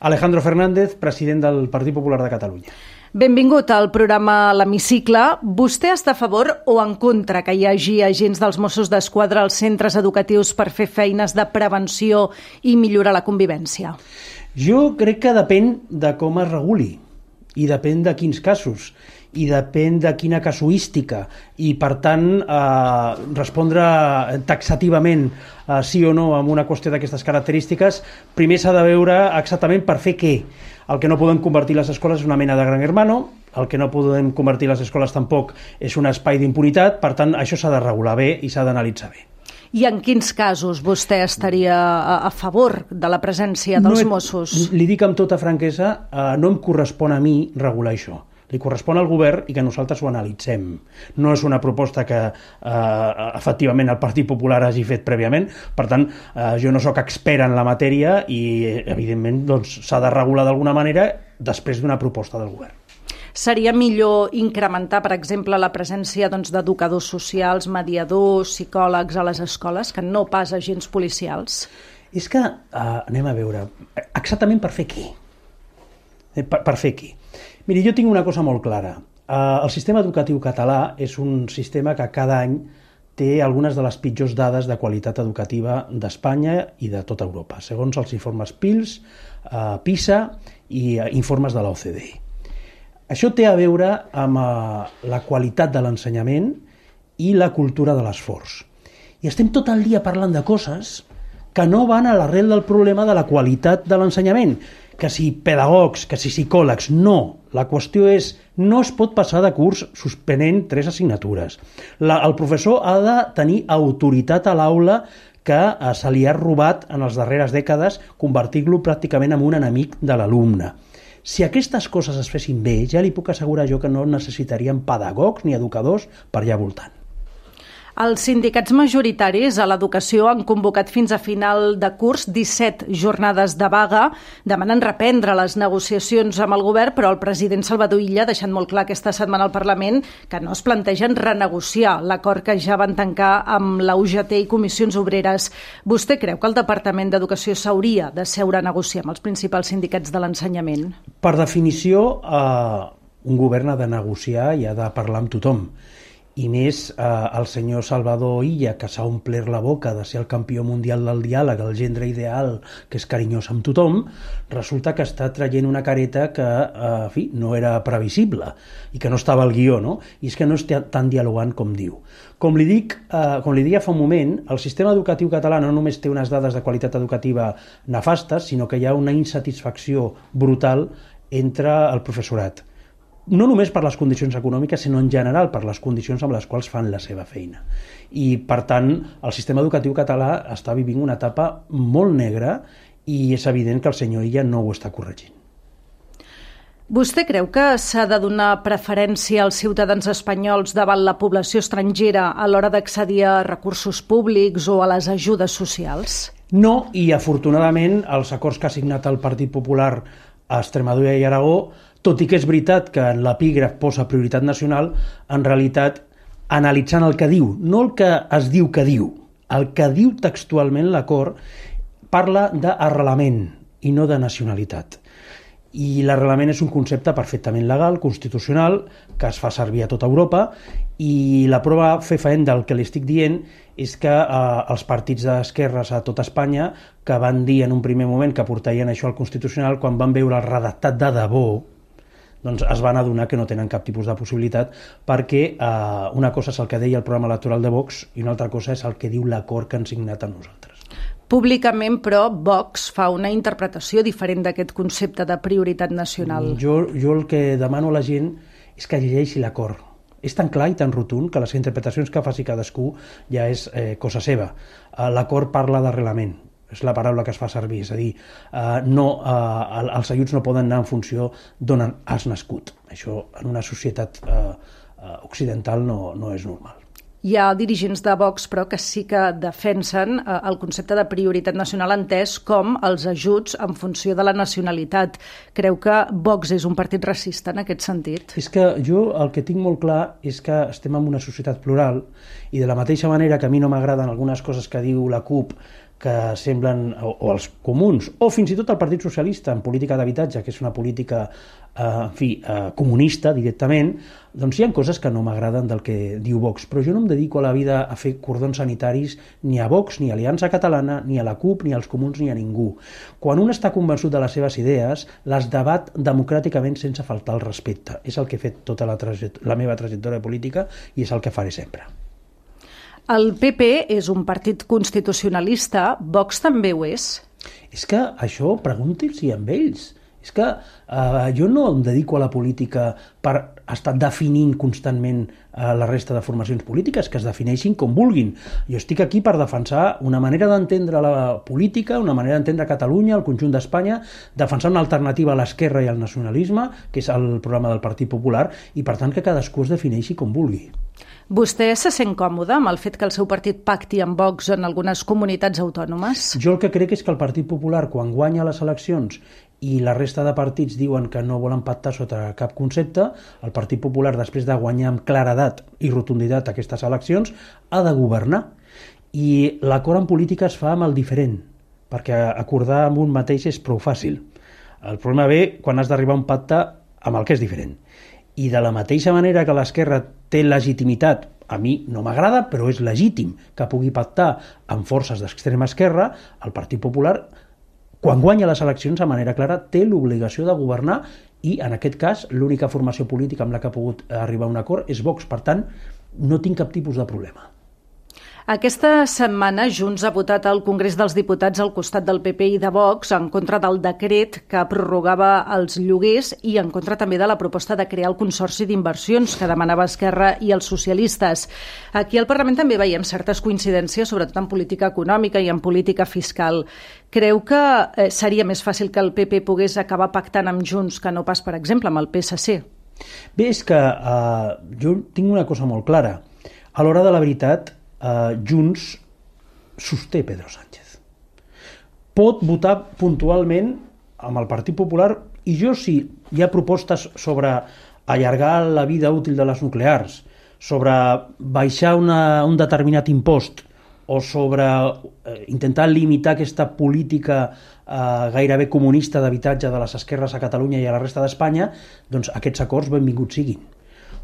Alejandro Fernández, president del Partit Popular de Catalunya. Benvingut al programa L'Hemicicle. Vostè està a favor o en contra que hi hagi agents dels Mossos d'Esquadra als centres educatius per fer feines de prevenció i millorar la convivència? Jo crec que depèn de com es reguli i depèn de quins casos i depèn de quina casuística i, per tant, respondre taxativament sí o no amb una qüestió d'aquestes característiques, primer s'ha de veure exactament per fer què. El que no podem convertir les escoles és una mena de gran hermano, el que no podem convertir les escoles tampoc és un espai d'impunitat, per tant, això s'ha de regular bé i s'ha d'analitzar bé. I en quins casos vostè estaria a favor de la presència dels Mossos? Li dic amb tota franquesa, no em correspon a mi regular això. Li correspon al govern i que nosaltres ho analitzem. No és una proposta que efectivament el Partit Popular hagi fet prèviament, per tant, jo no sóc expert en la matèria i, evidentment, s'ha de regular d'alguna manera després d'una proposta del govern. Seria millor incrementar, per exemple, la presència d'educadors socials, mediadors, psicòlegs a les escoles, que no pas agents policials? És que, anem a veure, exactament per fer què? Per fer què? Miri, jo tinc una cosa molt clara. El sistema educatiu català és un sistema que cada any té algunes de les pitjors dades de qualitat educativa d'Espanya i de tota Europa, segons els informes PISA i informes de l'OCDE. Això té a veure amb la qualitat de l'ensenyament i la cultura de l'esforç. I estem tot el dia parlant de coses que no van a l'arrel del problema de la qualitat de l'ensenyament, que si pedagogs, que si psicòlegs, no. La qüestió és, no es pot passar de curs suspenent 3 assignatures. El professor ha de tenir autoritat a l'aula que se li ha robat en les darreres dècades, convertir-lo pràcticament en un enemic de l'alumne. Si aquestes coses es fessin bé, ja li puc assegurar jo que no necessitaríem pedagogs ni educadors per allà voltant. Els sindicats majoritaris a l'educació han convocat fins a final de curs 17 jornades de vaga. Demanen reprendre les negociacions amb el govern, però el president Salvador Illa ha deixat molt clar aquesta setmana al Parlament que no es plantegen renegociar l'acord que ja van tancar amb la UGT i comissions obreres. Vostè creu que el Departament d'Educació s'hauria de seure a negociar amb els principals sindicats de l'ensenyament? Per definició, un govern ha de negociar i ha de parlar amb tothom. I més el senyor Salvador Illa, que s'ha omplert la boca de ser el campió mundial del diàleg, el gendre ideal, que és carinyós amb tothom, resulta que està traient una careta que, en fi, no era previsible i que no estava al guió, no? I és que no està tan dialogant com diu. Com li deia fa un moment, el sistema educatiu català no només té unes dades de qualitat educativa nefastes, sinó que hi ha una insatisfacció brutal entre el professorat. No només per les condicions econòmiques, sinó en general per les condicions amb les quals fan la seva feina. I, per tant, el sistema educatiu català està vivint una etapa molt negra i és evident que el senyor Illa no ho està corregint. Vostè creu que s'ha de donar preferència als ciutadans espanyols davant la població estrangera a l'hora d'accedir a recursos públics o a les ajudes socials? No, i afortunadament els acords que ha signat el Partit Popular a Extremadura i Aragó, tot i que és veritat que en l'epígraf posa prioritat nacional, en realitat, analitzant el que diu, no el que es diu que diu, el que diu textualment l'acord, parla d'arrelament i no de nacionalitat. I l'arrelament és un concepte perfectament legal, constitucional, que es fa servir a tota Europa, i la prova fefaent del que li estic dient és que els partits d'esquerres a tota Espanya, que van dir en un primer moment que portarien això al Constitucional, quan van veure el redactat de debò, doncs es van adonar que no tenen cap tipus de possibilitat, perquè una cosa és el que deia el programa electoral de Vox i una altra cosa és el que diu l'acord que han signat amb nosaltres. Públicament, però, Vox fa una interpretació diferent d'aquest concepte de prioritat nacional. Jo el que demano a la gent és que llegeixi l'acord. És tan clar i tan rotund que les interpretacions que faci cadascú ja és cosa seva. L'acord parla d'arrelament, és la paraula que es fa servir, és a dir, els ajuts no poden anar en funció d'on has nascut. Això en una societat occidental no és normal. Hi ha dirigents de Vox, però, que sí que defensen el concepte de prioritat nacional entès com els ajuts en funció de la nacionalitat. Creu que Vox és un partit racista en aquest sentit? És que jo el que tinc molt clar és que estem en una societat plural i de la mateixa manera que a mi no m'agraden algunes coses que diu la CUP que semblen, o els comuns, o fins i tot el Partit Socialista en política d'habitatge, que és una política comunista directament, doncs hi ha coses que no m'agraden del que diu Vox, però jo no em dedico a la vida a fer cordons sanitaris ni a Vox, ni a Aliança Catalana, ni a la CUP, ni als comuns, ni a ningú. Quan un està convençut de les seves idees, les debat democràticament sense faltar el respecte. És el que he fet tota la meva trajectòria política i és el que faré sempre. El PP és un partit constitucionalista, Vox també ho és? És que això pregunti-s'hi amb ells. És que jo no em dedico a la política per estar definint constantment la resta de formacions polítiques, que es defineixin com vulguin. Jo estic aquí per defensar una manera d'entendre la política, una manera d'entendre Catalunya, el conjunt d'Espanya, defensar una alternativa a l'esquerra i al nacionalisme, que és el programa del Partit Popular, i per tant que cadascú es defineixi com vulgui. Vostè se sent còmode amb el fet que el seu partit pacti amb Vox en algunes comunitats autònomes? Jo el que crec és que el Partit Popular, quan guanya les eleccions i la resta de partits diuen que no volen pactar sota cap concepte, el Partit Popular, després de guanyar amb claredat i rotunditat aquestes eleccions, ha de governar. I l'acord en política es fa amb el diferent, perquè acordar amb un mateix és prou fàcil. El problema ve quan has d'arribar a un pacte amb el que és diferent. I de la mateixa manera que l'esquerra té legitimitat, a mi no m'agrada, però és legítim que pugui pactar amb forces d'extrema esquerra, el Partit Popular, quan guanya les eleccions de manera clara, té l'obligació de governar i, en aquest cas, l'única formació política amb la que ha pogut arribar a un acord és Vox. Per tant, no tinc cap tipus de problema. Aquesta setmana Junts ha votat al Congrés dels Diputats al costat del PP i de Vox en contra del decret que prorrogava els lloguers i en contra també de la proposta de crear el Consorci d'Inversions que demanava Esquerra i els socialistes. Aquí al Parlament també veiem certes coincidències, sobretot en política econòmica i en política fiscal. Creu que seria més fàcil que el PP pogués acabar pactant amb Junts que no pas, per exemple, amb el PSC? Bé, és que jo tinc una cosa molt clara. A l'hora de la veritat, Junts sosté Pedro Sánchez. Pot votar puntualment amb el Partit Popular i jo, si hi ha propostes sobre allargar la vida útil de les nuclears, sobre baixar un determinat impost o sobre intentar limitar aquesta política gairebé comunista d'habitatge de les esquerres a Catalunya i a la resta d'Espanya, doncs aquests acords benvinguts siguin.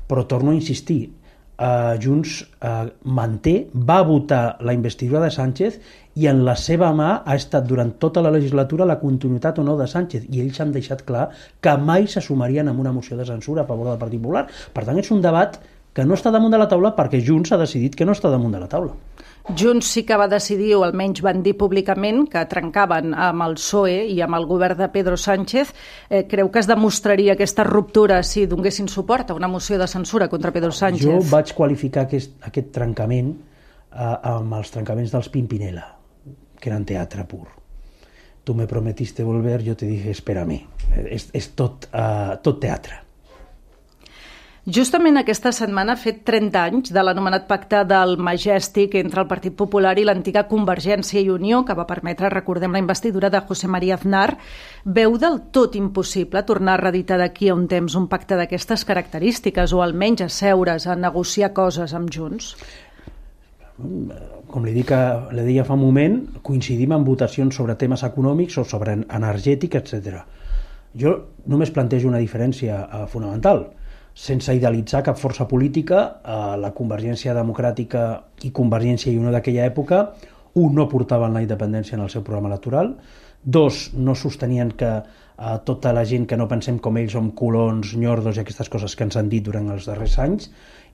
Però torno a insistir, Junts va votar la investidura de Sánchez i en la seva mà ha estat durant tota la legislatura la continuïtat o no de Sánchez, i ells han deixat clar que mai se sumarien amb una moció de censura a favor del Partit Popular. Per tant, és un debat que no està damunt de la taula perquè Junts ha decidit que no està damunt de la taula. Junts sí que va decidir, o almenys van dir públicament, que trencaven amb el PSOE i amb el govern de Pedro Sánchez. Creu que es demostraria aquesta ruptura si donessin suport a una moció de censura contra Pedro Sánchez? Jo vaig qualificar aquest trencament amb els trencaments dels Pimpinela, que eren teatre pur. Tu me prometiste volver, yo te dije espérame. És tot teatre. Justament aquesta setmana ha fet 30 anys de l'anomenat pacte del Majestic entre el Partit Popular i l'antiga Convergència i Unió, que va permetre, recordem, la investidura de José María Aznar. Veu del tot impossible tornar a reeditar d'aquí a un temps un pacte d'aquestes característiques, o almenys asseure's a negociar coses amb Junts? Com li deia fa un moment, coincidim en votacions sobre temes econòmics o sobre energètic, etc. Jo només plantejo una diferència fonamental. Sense idealitzar cap força política, la Convergència Democràtica i Convergència i Unió d'aquella època, no portaven la independència en el seu programa electoral, 2, no sostenien que tota la gent que no pensem com ells som colons, nyordos i aquestes coses que ens han dit durant els darrers anys,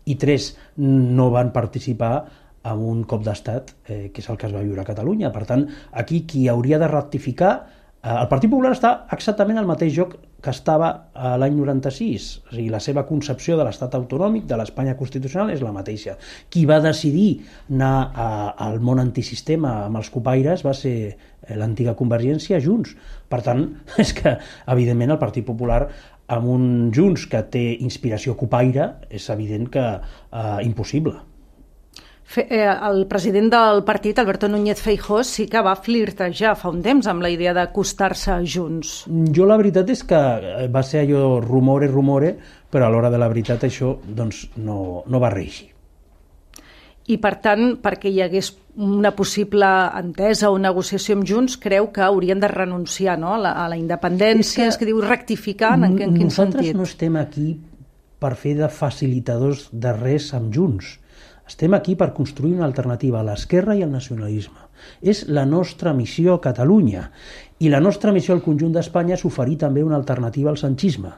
i 3, no van participar en un cop d'estat, que és el que es va viure a Catalunya. Per tant, aquí qui hauria de rectificar, el Partit Popular està exactament al mateix lloc que estava l'any 96, o sigui, la seva concepció de l'estat autonòmic, de l'Espanya constitucional, és la mateixa. Qui va decidir anar al món antisistema amb els copaires va ser l'antiga Convergència, Junts. Per tant, és que, evidentment, el Partit Popular, amb un Junts que té inspiració copaire, és evident que impossible. El president del partit, Alberto Núñez Feijóo, sí que va flirtejar fa un temps amb la idea d'acostar-se a Junts. Jo la veritat és que va ser allò rumore, però a l'hora de la veritat això doncs, no va reeixir. i, per tant, perquè hi hagués una possible entesa o negociació amb Junts, creu que haurien de renunciar, no? a la independència, és que diu rectificar, en quin sentit? Nosaltres no estem aquí per fer de facilitadors de res amb Junts. Estem aquí per construir una alternativa a l'esquerra i al nacionalisme. És la nostra missió a Catalunya. I la nostra missió al conjunt d'Espanya és oferir també una alternativa al sanchisme.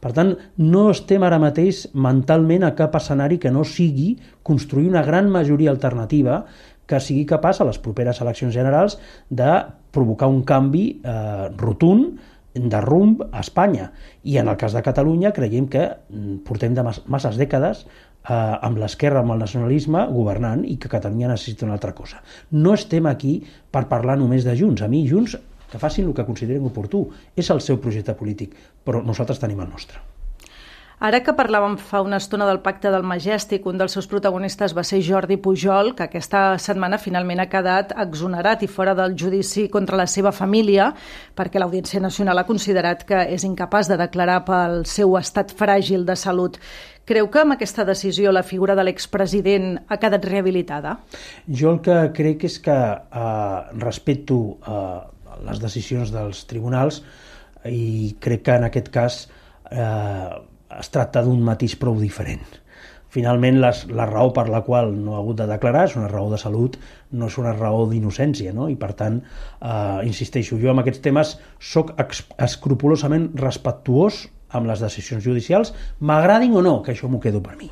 Per tant, no estem ara mateix mentalment a cap escenari que no sigui construir una gran majoria alternativa que sigui capaç a les properes eleccions generals de provocar un canvi rotund de rumb a Espanya. I en el cas de Catalunya creiem que portem de masses dècades amb l'esquerra, amb el nacionalisme, governant, i que Catalunya necessita una altra cosa. No estem aquí per parlar només de Junts. A mi, Junts, que facin el que consideren oportú. És el seu projecte polític, però nosaltres tenim el nostre. Ara que parlàvem fa una estona del Pacte del Majestic, un dels seus protagonistes va ser Jordi Pujol, que aquesta setmana finalment ha quedat exonerat i fora del judici contra la seva família, perquè l'Audiència Nacional ha considerat que és incapaç de declarar pel seu estat fràgil de salut. Creu que amb aquesta decisió la figura de l'expresident ha quedat rehabilitada? Jo el que crec és que respecto les decisions dels tribunals i crec que en aquest cas es tracta d'un matís prou diferent. Finalment, la raó per la qual no ha hagut de declarar és una raó de salut, no és una raó d'innocència, no? I per tant, insisteixo, jo amb aquests temes soc escrupolosament respectuós amb les decisions judicials, m'agradin o no, que això m'ho quedo per mi.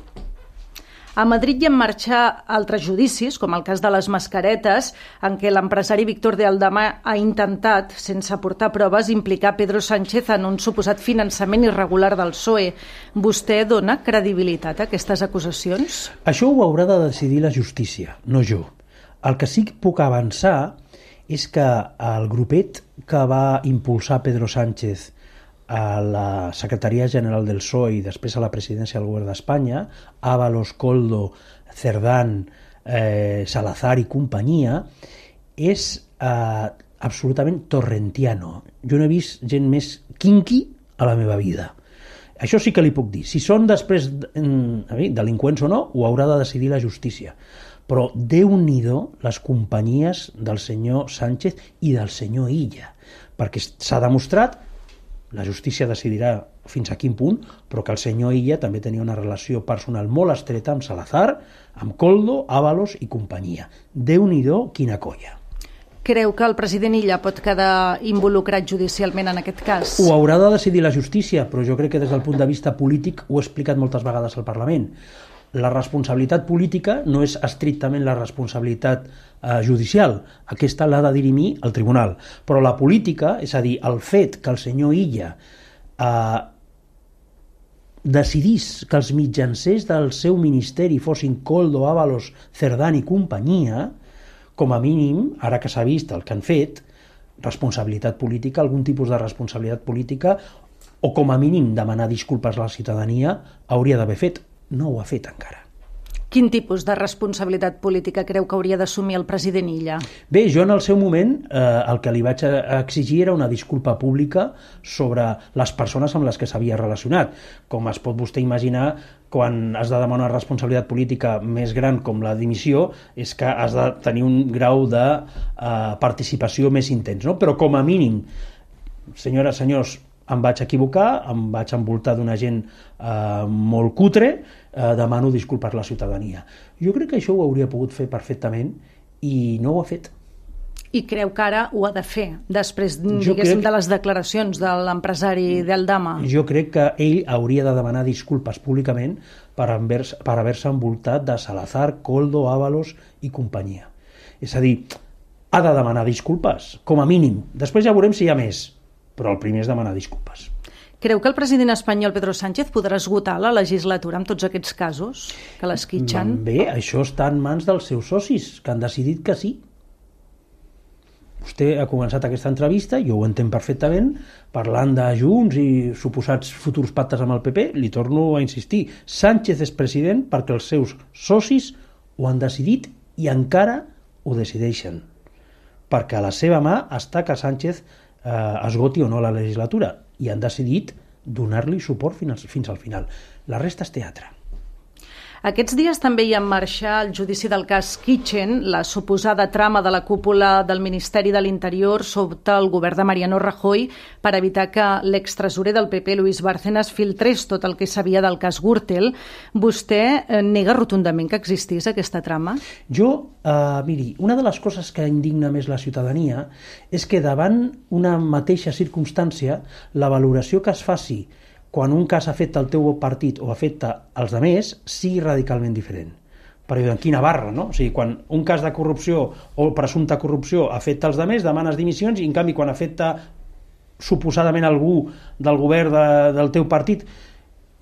A Madrid hi ha en marxa altres judicis, com el cas de les mascaretes, en què l'empresari Víctor de Aldama ha intentat, sense aportar proves, implicar Pedro Sánchez en un suposat finançament irregular del PSOE. Vostè dona credibilitat a aquestes acusacions? Això ho haurà de decidir la justícia, no jo. El que sí que puc avançar és que el grupet que va impulsar Pedro Sánchez a la Secretaria General del PSOE i després a la presidència del Govern d'Espanya, Ábalos, Koldo, Cerdán, Salazar i companyia, és absolutament torrentiano. Jo no he vist gent més quinqui a la meva vida. Això sí que li puc dir. Si són després delinqüents o no, ho haurà de decidir la justícia. Però Déu-n'hi-do les companyies del senyor Sánchez i del senyor Illa, perquè s'ha demostrat, la justícia decidirà fins a quin punt, però que el senyor Illa també tenia una relació personal molt estreta amb Salazar, amb Koldo, Ábalos i companyia. Déu-n'hi-do, quina colla. Creu que el president Illa pot quedar involucrat judicialment en aquest cas? Ho haurà de decidir la justícia, però jo crec que des del punt de vista polític ho he explicat moltes vegades al Parlament. La responsabilitat política no és estrictament la responsabilitat judicial. Aquesta l'ha de dirimir el tribunal. Però la política, és a dir, el fet que el senyor Illa decidís que els mitjancers del seu ministeri fossin Koldo, Ábalos, Cerdán i companyia, com a mínim, ara que s'ha vist el que han fet, responsabilitat política, algun tipus de responsabilitat política, o com a mínim demanar disculpes a la ciutadania, hauria d'haver fet. No ho ha fet encara. Quin tipus de responsabilitat política creu que hauria d'assumir el president Illa? Bé, jo en el seu moment el que li vaig exigir era una disculpa pública sobre les persones amb les que s'havia relacionat. Com es pot vostè imaginar, quan has de demanar una responsabilitat política més gran com la dimissió, és que has de tenir un grau de participació més intens, no? Però com a mínim, senyores, senyors, em vaig equivocar, em vaig envoltar d'una gent molt cutre, demano disculpes a la ciutadania. Jo crec que això ho hauria pogut fer perfectament i no ho ha fet. I creu que ara ho ha de fer, després, diguéssim, de les declaracions de l'empresari d'Aldama? Jo crec que ell hauria de demanar disculpes públicament per haver-se envoltat de Salazar, Koldo, Ábalos i companyia. És a dir, ha de demanar disculpes, com a mínim. Després ja veurem si hi ha més, però el primer és demanar disculpes. Creu que el president espanyol Pedro Sánchez podrà esgotar la legislatura amb tots aquests casos que l'esquitxen? Bé, això està en mans dels seus socis, que han decidit que sí. Vostè ha començat aquesta entrevista, jo ho entenc perfectament, parlant de Junts i suposats futurs pactes amb el PP, li torno a insistir, Sánchez és president perquè els seus socis ho han decidit i encara ho decideixen. Perquè a la seva mà està que Sánchez esgoti o no la legislatura i han decidit donar-li suport fins al final. La resta és teatre. Aquests dies també hi ha en marxa el judici del cas Kitchen, la suposada trama de la cúpula del Ministeri de l'Interior sota el govern de Mariano Rajoy per evitar que l'extresorer del PP, Luis Bárcenas, filtrés tot el que sabia del cas Gürtel. Vostè nega rotundament que existís aquesta trama? Jo, miri, una de les coses que indigna més la ciutadania és que davant una mateixa circumstància la valoració que es faci quan un cas afecta el teu partit o afecta els altres, sigui radicalment diferent. Perquè en quina barra, no? O sigui, quan un cas de corrupció o presumpta corrupció afecta els altres, demanes dimissions, i en canvi quan afecta suposadament algú del govern del teu partit...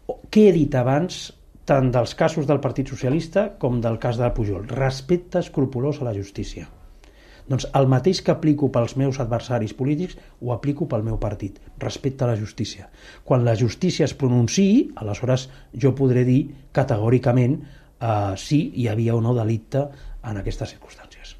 Què he dit abans tant dels casos del Partit Socialista com del cas de Pujol? Respecte escrupolós a la justícia. Doncs el mateix que aplico pels meus adversaris polítics ho aplico pel meu partit, respecte a la justícia. Quan la justícia es pronunciï, aleshores jo podré dir categòricament si hi havia o no delicte en aquestes circumstàncies.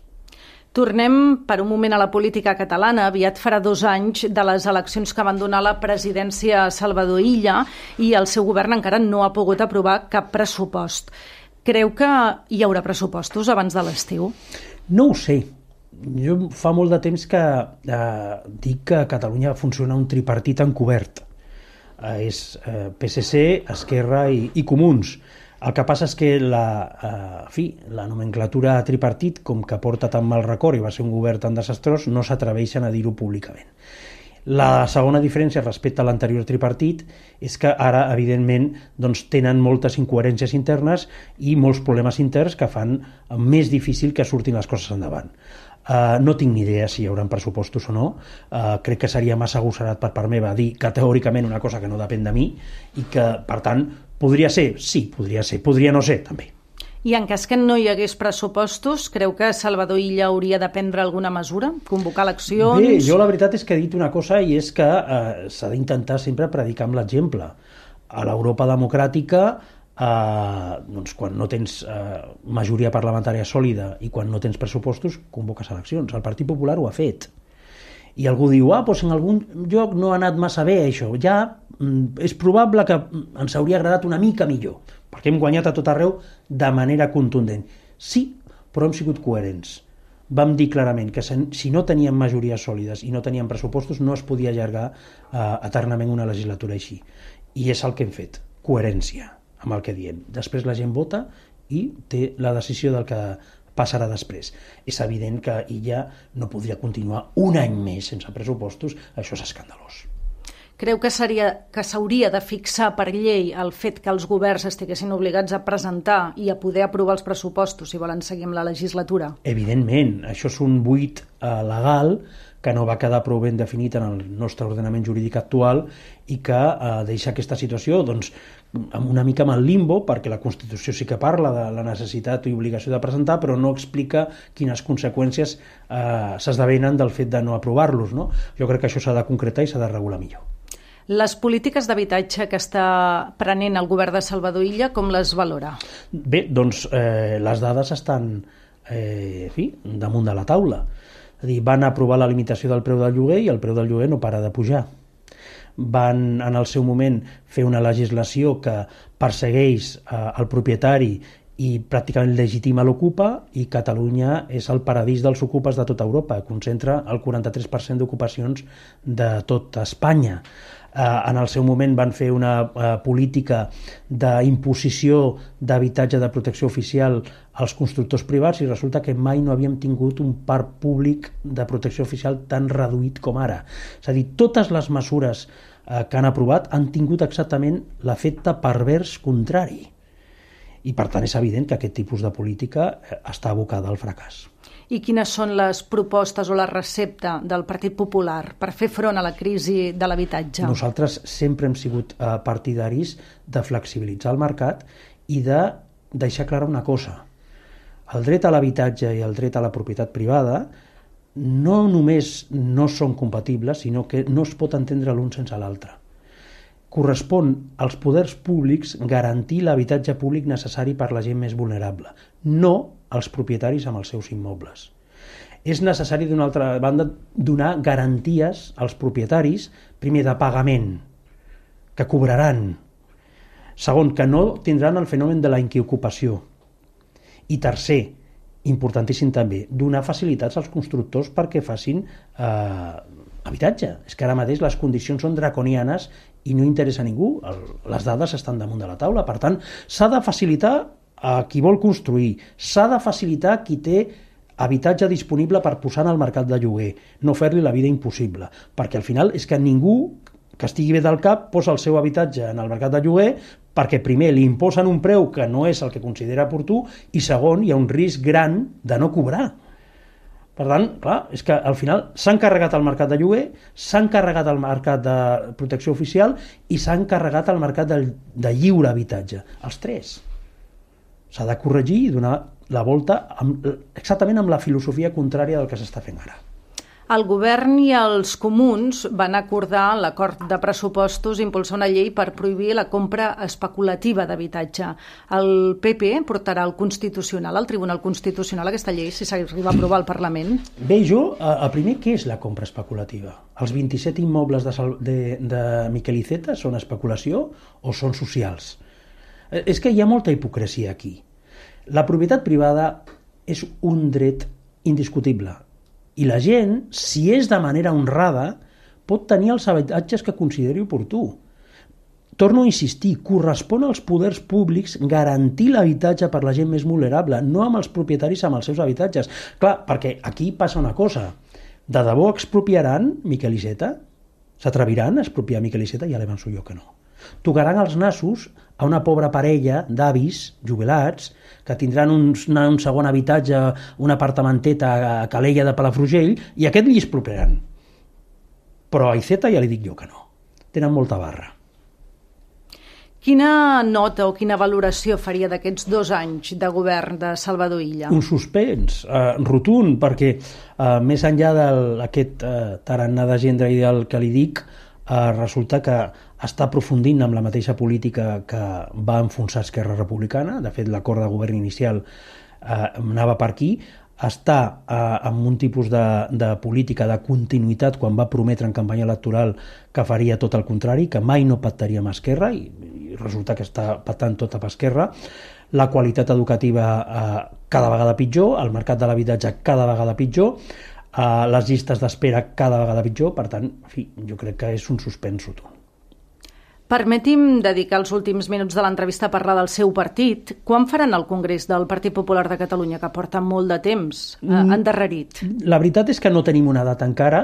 Tornem per un moment a la política catalana. Aviat farà 2 anys de les eleccions que van donar la presidència a Salvador Illa i el seu govern encara no ha pogut aprovar cap pressupost. Creu que hi haurà pressupostos abans de l'estiu? No ho sé. Jo fa molt de temps que dic que a Catalunya funciona un tripartit encobert. És PSC, Esquerra i Comuns. El que passa és que la nomenclatura tripartit, com que porta tan mal record i va ser un govern tan desastrós, no s'atreveixen a dir-ho públicament. La segona diferència respecte a l'anterior tripartit és que ara, evidentment, doncs, tenen moltes incoherències internes i molts problemes interns que fan més difícil que surtin les coses endavant. No tinc ni idea si hi haurà pressupostos o no. Crec que seria massa agosserat per part meva dir categòricament una cosa que no depèn de mi i que, per tant, podria ser, sí, podria ser, podria no ser, també. I en cas que no hi hagués pressupostos, creu que Salvador Illa hauria de prendre alguna mesura? Convocar eleccions? Bé, jo la veritat és que he dit una cosa i és que s'ha d'intentar sempre predicar amb l'exemple. A l'Europa democràtica, doncs quan no tens majoria parlamentària sòlida i quan no tens pressupostos, convoques eleccions. El Partit Popular ho ha fet. I algú diu, doncs en algun lloc no ha anat massa bé això. Ja és probable que ens hauria agradat una mica millor, perquè hem guanyat a tot arreu de manera contundent. Sí, però hem sigut coherents. Vam dir clarament que si no teníem majories sòlides i no teníem pressupostos no es podia allargar eternament una legislatura així. I és el que hem fet, coherència amb el que diem. Després la gent vota i té la decisió del que passarà després. És evident que Illa no podria continuar un any més sense pressupostos, això és escandalós. Creu que s'hauria de fixar per llei el fet que els governs estiguessin obligats a presentar i a poder aprovar els pressupostos si volen seguir amb la legislatura? Evidentment, això és un buit legal que no va quedar prou ben definit en el nostre ordenament jurídic actual i que deixa aquesta situació doncs, una mica amb el limbo, perquè la Constitució sí que parla de la necessitat i obligació de presentar, però no explica quines conseqüències s'esdevenen del fet de no aprovar-los, no? Jo crec que això s'ha de concretar i s'ha de regular millor. Les polítiques d'habitatge que està prenent el govern de Salvador Illa, com les valora? Bé, doncs les dades estan damunt de la taula. És a dir, van aprovar la limitació del preu del lloguer i el preu del lloguer no para de pujar. Van, en el seu moment, fer una legislació que persegueix el propietari i pràcticament legitima l'ocupa, i Catalunya és el paradís dels ocupes de tota Europa, concentra el 43% d'ocupacions de tot Espanya. En el seu moment van fer una política d'imposició d'habitatge de protecció oficial als constructors privats i resulta que mai no havíem tingut un parc públic de protecció oficial tan reduït com ara. És a dir, totes les mesures que han aprovat han tingut exactament l'efecte pervers contrari. I per tant és evident que aquest tipus de política està abocada al fracàs. I quines són les propostes o la recepta del Partit Popular per fer front a la crisi de l'habitatge? Nosaltres sempre hem sigut partidaris de flexibilitzar el mercat i de deixar clara una cosa. El dret a l'habitatge i el dret a la propietat privada no només no són compatibles, sinó que no es pot entendre l'un sense l'altre. Correspon als poders públics garantir l'habitatge públic necessari per la gent més vulnerable, no als propietaris amb els seus immobles. És necessari, d'una altra banda, donar garanties als propietaris, primer de pagament, que cobraran. Segon, que no tindran el fenomen de la inquiocupació. I tercer, importantíssim també, donar facilitats als constructors perquè facin habitatge. És que ara mateix les condicions són draconianes i no interessa a ningú. Les dades estan damunt de la taula. Per tant, s'ha de facilitar a qui vol construir, s'ha de facilitar a qui té habitatge disponible per posar en el mercat de lloguer, no fer-li la vida impossible, perquè al final és que ningú que estigui bé del cap posa el seu habitatge en el mercat de lloguer perquè primer li imposen un preu que no és el que considera oportú i segon, hi ha un risc gran de no cobrar. Per tant, clar, és que al final s'han carregat el mercat de lloguer, s'han carregat el mercat de protecció oficial i s'han carregat el mercat de lliure habitatge. Els tres. S'ha de corregir i donar la volta exactament amb la filosofia contrària del que s'està fent ara. El govern i els comuns van acordar en l'acord de pressupostos impulsar una llei per prohibir la compra especulativa d'habitatge. El PP portarà al Constitucional, al Tribunal Constitucional, aquesta llei, si s'arriba a aprovar al Parlament? Bé, jo, el primer, què és la compra especulativa? Els 27 immobles de Miquel Iceta són especulació o són socials? És que hi ha molta hipocresia aquí. La propietat privada és un dret indiscutible. I la gent, si és de manera honrada, pot tenir els habitatges que consideri oportú. Torno a insistir, correspon als poders públics garantir l'habitatge per la gent més vulnerable, no amb els propietaris amb els seus habitatges. Clar, perquè aquí passa una cosa. De debò expropiaran Miquel Iceta? S'atreviran a expropiar Miquel Iceta? Ja l'avanço jo que no. Tocaran els nassos a una pobra parella d'avis jubilats que tindran un segon habitatge, un apartamentet a Calella de Palafrugell, i aquest li expropiaran. Però a Iceta ja li dic jo que no. Tenen molta barra. Quina nota o quina valoració faria d'aquests 2 anys de govern de Salvador Illa? Un suspens rotund, perquè més enllà d'aquest tarannà de gendre ideal que li dic, resulta que està aprofundint amb la mateixa política que va enfonsar Esquerra Republicana. De fet, l'acord de govern inicial anava per aquí. Està amb un tipus de política de continuïtat quan va prometre en campanya electoral que faria tot el contrari, que mai no pactaria amb Esquerra, i resulta que està pactant tot amb Esquerra. La qualitat educativa cada vegada pitjor, el mercat de l'habitatge cada vegada pitjor, les llistes d'espera cada vegada pitjor. Per tant, en fi, jo crec que és un suspens rotund. Permeti'm dedicar els últims minuts de l'entrevista a parlar del seu partit. Quan faran el Congrés del Partit Popular de Catalunya, que porta molt de temps endarrerit? La veritat és que no tenim una data encara,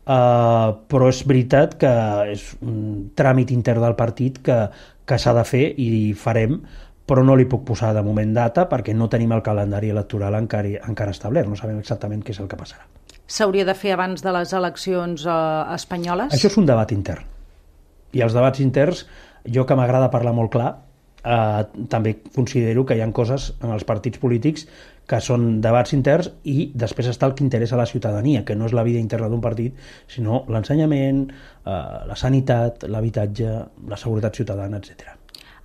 però és veritat que és un tràmit intern del partit que s'ha de fer i farem, però no li puc posar de moment data perquè no tenim el calendari electoral encara establert, no sabem exactament què és el que passarà. S'hauria de fer abans de les eleccions espanyoles? Això és un debat intern. I els debats interns, jo que m'agrada parlar molt clar, també considero que hi ha coses en els partits polítics que són debats interns i després està el que interessa a la ciutadania, que no és la vida interna d'un partit, sinó l'ensenyament, la sanitat, l'habitatge, la seguretat ciutadana, etc.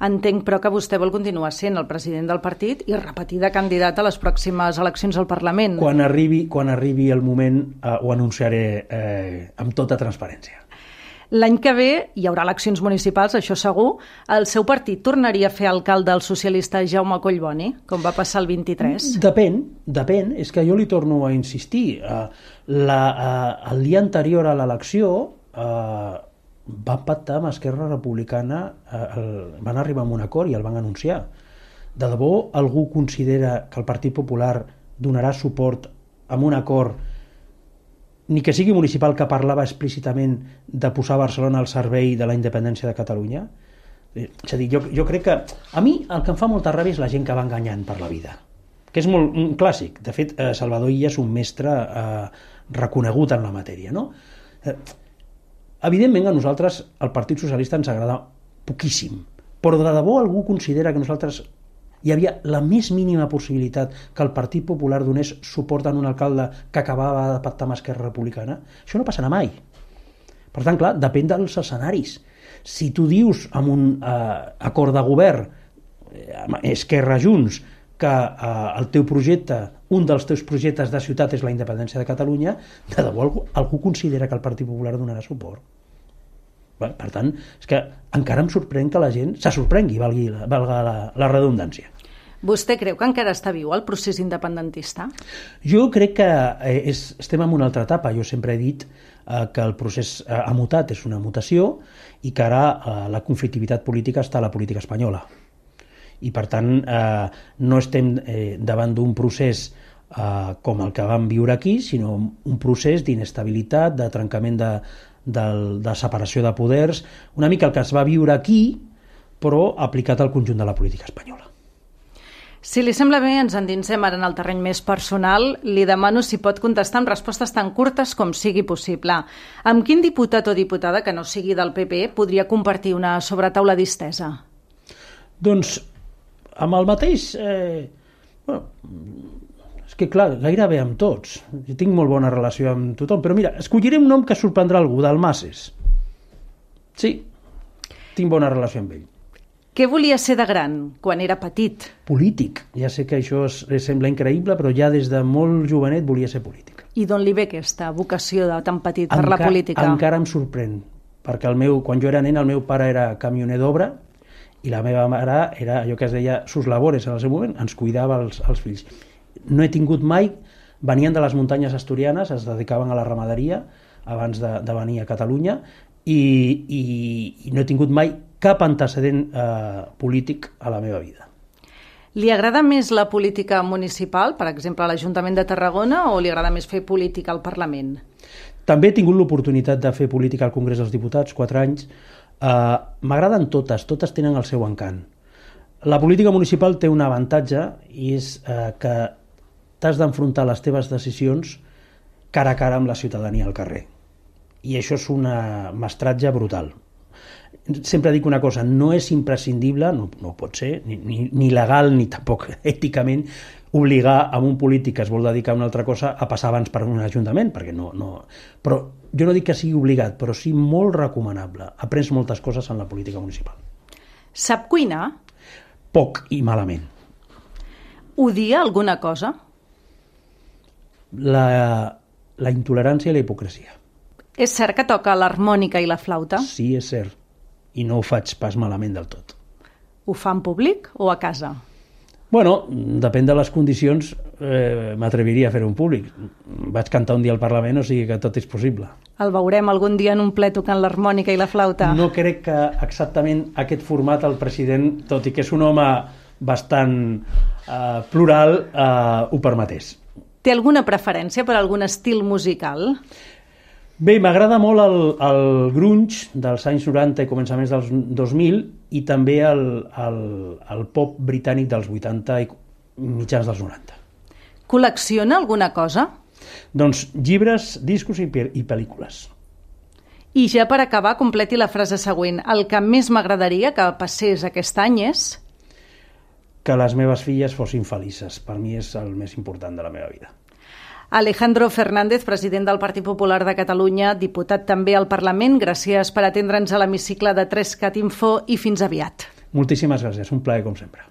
Entenc, però, que vostè vol continuar sent el president del partit i repetir de candidat a les pròximes eleccions al Parlament. Quan arribi el moment ho anunciaré amb tota transparència. L'any que ve hi haurà eleccions municipals, això segur. El seu partit tornaria a fer alcalde el socialista Jaume Collboni, com va passar el 23? Depèn. És que jo li torno a insistir. El dia anterior a l'elecció van pactar amb Esquerra Republicana, van arribar a un acord i el van anunciar. De debò algú considera que el Partit Popular donarà suport a un acord, ni que sigui municipal, que parlava explícitament de posar Barcelona al servei de la independència de Catalunya? És a dir, jo crec que a mi el que em fa molta ràbia és la gent que va enganyant per la vida, que és molt un clàssic. De fet, Salvador Illa és un mestre reconegut en la matèria, no? Evidentment a nosaltres el Partit Socialista ens agrada poquíssim, però de debò algú considera que nosaltres hi havia la més mínima possibilitat que el Partit Popular donés suport a un alcalde que acabava de pactar amb Esquerra Republicana? Això no passarà mai. Per tant, clar, depèn dels escenaris. Si tu dius amb un acord de govern, Esquerra Junts, que el teu projecte, un dels teus projectes de ciutat és la independència de Catalunya, de debò algú considera que el Partit Popular donarà suport? Per tant, és que encara em sorprèn que la gent se sorprengui, valga la redundància. Vostè creu que encara està viu el procés independentista? Jo crec que estem en una altra etapa. Jo sempre he dit que el procés ha mutat, és una mutació, i que ara la conflictivitat política està a la política espanyola. I, per tant, no estem davant d'un procés com el que vam viure aquí, sinó un procés d'inestabilitat, de trencament de separació de poders, una mica el que es va viure aquí, però aplicat al conjunt de la política espanyola. Si li sembla bé, ens endinsem ara en el terreny més personal. Li demano si pot contestar amb respostes tan curtes com sigui possible. Amb quin diputat o diputada que no sigui del PP podria compartir una sobretaula distesa? Doncs amb el mateix... és que clar, gairebé amb tots. Jo tinc molt bona relació amb tothom, però mira, escolliré un nom que sorprendrà algú, Dalmases. Sí, tinc bona relació amb ell. Què volia ser de gran, quan era petit? Polític. Ja sé que això sembla increïble, però ja des de molt jovenet volia ser polític. I d'on li ve aquesta vocació de tan petit per la política? Encara em sorprèn, perquè quan jo era nen el meu pare era camioner d'obra i la meva mare era allò que es deia sus labores en el seu moment, ens cuidava els fills. No he tingut mai, venien de les muntanyes asturianes, es dedicaven a la ramaderia abans de venir a Catalunya i no he tingut mai cap antecedent polític a la meva vida. Li agrada més la política municipal, per exemple, a l'Ajuntament de Tarragona, o li agrada més fer política al Parlament? També he tingut l'oportunitat de fer política al Congrés dels Diputats, 4 anys. M'agraden totes tenen el seu encant. La política municipal té un avantatge i és que t'has d'enfrontar les teves decisions cara a cara amb la ciutadania al carrer. I això és un mestratge brutal. Sempre dic una cosa, no és imprescindible, no pot ser, ni legal ni tampoc èticament, obligar a un polític que es vol dedicar a una altra cosa a passar abans per un ajuntament, perquè no. Però jo no dic que sigui obligat, però sí molt recomanable. Aprens moltes coses en la política municipal. Sap cuinar? Poc i malament. Odia alguna cosa? La intolerància i la hipocresia. És cert que toca l'harmònica i la flauta? Sí, és cert. I no ho faig pas malament del tot. Ho fa en públic o a casa? Bueno, depèn de les condicions, m'atreviria a fer-ho en públic. Vaig cantar un dia al Parlament, o sigui que tot és possible. El veurem algun dia en un ple tocant l'harmònica i la flauta? No crec que exactament aquest format el president, tot i que és un home bastant plural, ho permetés. Té alguna preferència per algun estil musical? Bé, m'agrada molt el grunge dels anys 90 i començaments dels 2000 i també el pop britànic dels 80 i mitjans dels 90. Col·lecciona alguna cosa? Doncs llibres, discos i pel·lícules. I ja per acabar, completi la frase següent. El que més m'agradaria que passés aquest any és... Que les meves filles fossin felices. Per mi és el més important de la meva vida. Alejandro Fernández, president del Partit Popular de Catalunya, diputat també al Parlament, gràcies per atendre'ns a l'hemicicle de 3cat Info i fins aviat. Moltíssimes gràcies, un plaer com sempre.